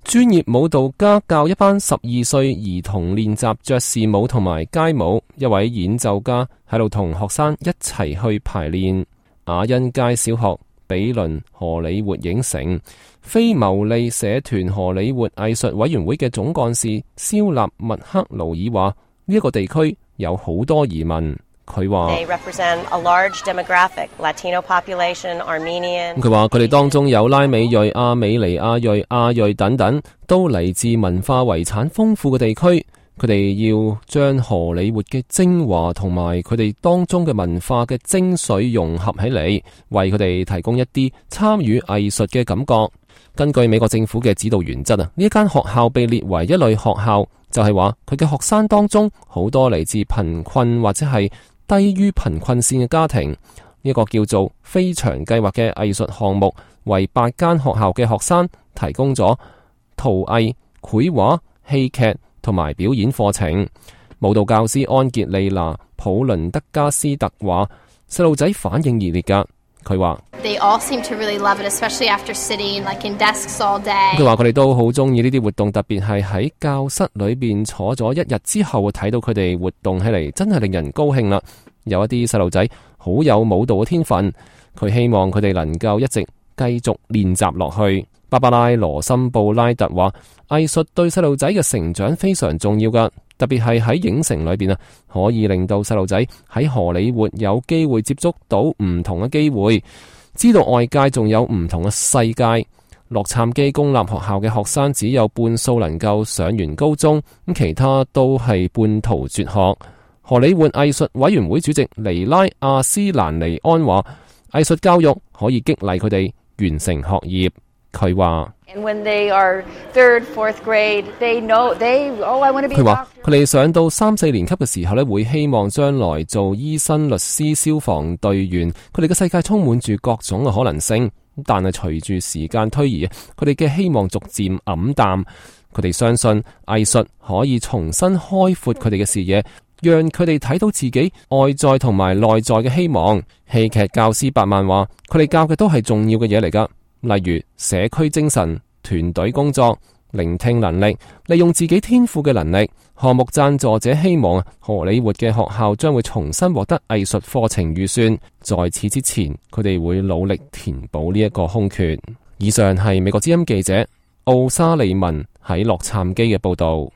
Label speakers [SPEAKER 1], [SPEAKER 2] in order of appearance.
[SPEAKER 1] 專業舞蹈家教一班12歲兒童練習爵士舞同埋街舞，一位演奏家喺度同學生一齊去排練。雅欣街小學、比鄰荷里活影城、非牟利社團荷里活藝術委員會嘅總幹事蕭納密克勞爾話：呢一個地區有好多移民。佢話佢哋當中有拉美裔、亞美尼亞裔、亞裔等等，都嚟自文化遺產豐富嘅地區。佢哋要將荷里活嘅精華同埋佢哋當中嘅文化嘅精髓融合起嚟，為佢哋提供一啲參與藝術嘅感覺。根據美國政府嘅指導原則呢一間學校被列為一類學校，就係話佢嘅學生當中好多嚟自貧困或者係低於貧困線嘅家庭。呢個叫做飛翔計劃嘅藝術項目，為8間學校嘅學生提供咗陶藝、繪畫、戲劇同埋表演課程。舞蹈教師安傑利娜·普倫德加斯特話：細路仔反應熱烈㗎。佢話佢話佢哋都好中意呢啲活動，特別係喺教室裏邊坐咗一日之後，睇到佢哋活動起嚟，真係令人高興啦。有一啲細路仔好有舞蹈嘅天分，佢希望佢哋能夠一直繼續練習落去。芭芭拉·羅森布拉特話：藝術對細路仔嘅成長非常重要㗎，特別係喺影城裏邊可以令到細路仔喺荷里活有機會接觸到唔同嘅機會，知道外界仲有唔同嘅世界。洛杉磯公立學校嘅學生只有半數能夠上完高中，咁其他都係半途輟學。荷里活藝術委員會主席尼拉·阿斯蘭尼安話：藝術教育可以激勵佢哋完成學業。佢話佢話佢哋上到3、4年級嘅時候呢，會希望將來做醫生、律師、消防隊員。佢哋嘅世界充滿住各種嘅可能性，但係隨住時間推移，佢哋嘅希望逐漸黯淡。佢哋相信藝術可以重新開闊佢哋嘅視野，讓佢哋睇到自己外在同埋內在嘅希望。戲劇教師伯曼話：佢哋教嘅都係重要嘅嘢嚟㗎。例如社區精神、團隊工作、聆聽能力、利用自己天賦嘅能力。項目贊助者希望荷里活嘅學校將會重新獲得藝術課程預算，在此之前，佢哋會努力填補呢一個空缺。以上係美國之音記者奧沙利文喺洛杉磯嘅報道。